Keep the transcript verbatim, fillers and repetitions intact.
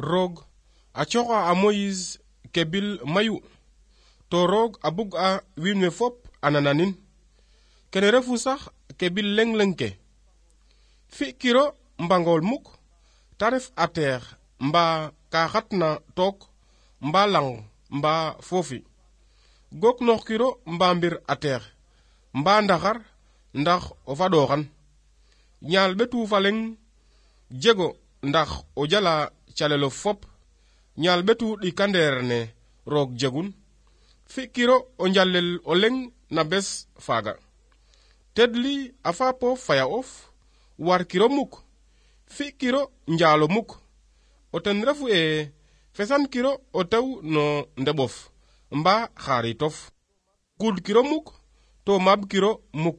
roog a coxa a Moïse kebil mayu to roog a bug a wiin we fop a nananin kene refu sax kebil leng leng ke fi kiro mbangol muk ta ref a teex mba ka xatna took mba lang mba foofi gok noox kiro mba mbir a teex mba ndaxar ndax o fadoxan ñaal ɓetu faleng jego ndax o jala calelo fop ñaal ɓetu ɗikandeer ne roog jegun fi kiro o njalel o leng na bes faaga tedli a faapo faya of war kiro muk fi kiro njaalo muk o ten refu e fesan kiro o tew no ndeɓof mba xaaritof kud kiro muk to mab kiro muk